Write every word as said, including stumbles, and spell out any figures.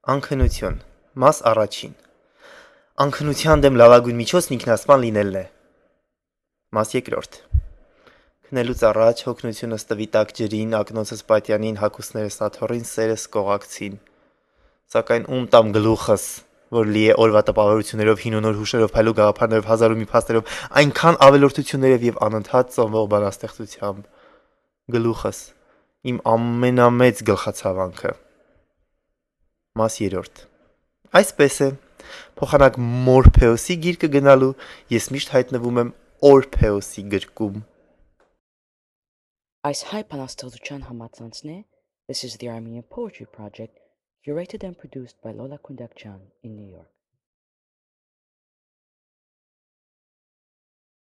Անքնություն, մաս առաջին, անքնության դեմ լավագույն միջոցն ինքնասպան լինելն է, մաս երկրորդ, քնելուց առաջ հոգնությունս տվի տաք ջրին, ակնոցս պատյանին, հագուստներս աթոռին, սերս կողակցին, սակայն ում տամ գլուխս, որ լի է օրվա տպավորություններով, հին ու նոր հուշերով, փայլու գաղափարներով, հազար ու մի փաստերով, այնքան ավելորդություններով եւ անընդհատ ծնվող բանաստեղծությամբ, գլուխս, իմ ամենամեծ գլխացավանքը, մաս երրորդ, այսպես է, փոխանակ Մորփեոսի գիրկը գնալու, ես միշտ հայտնվում եմ Օրփեոսի գրկում։ Այս հայ բանաստեղծության համացանցն է This is the Armenian Poetry Project, curated and produced by Lola Kundakjan in New York.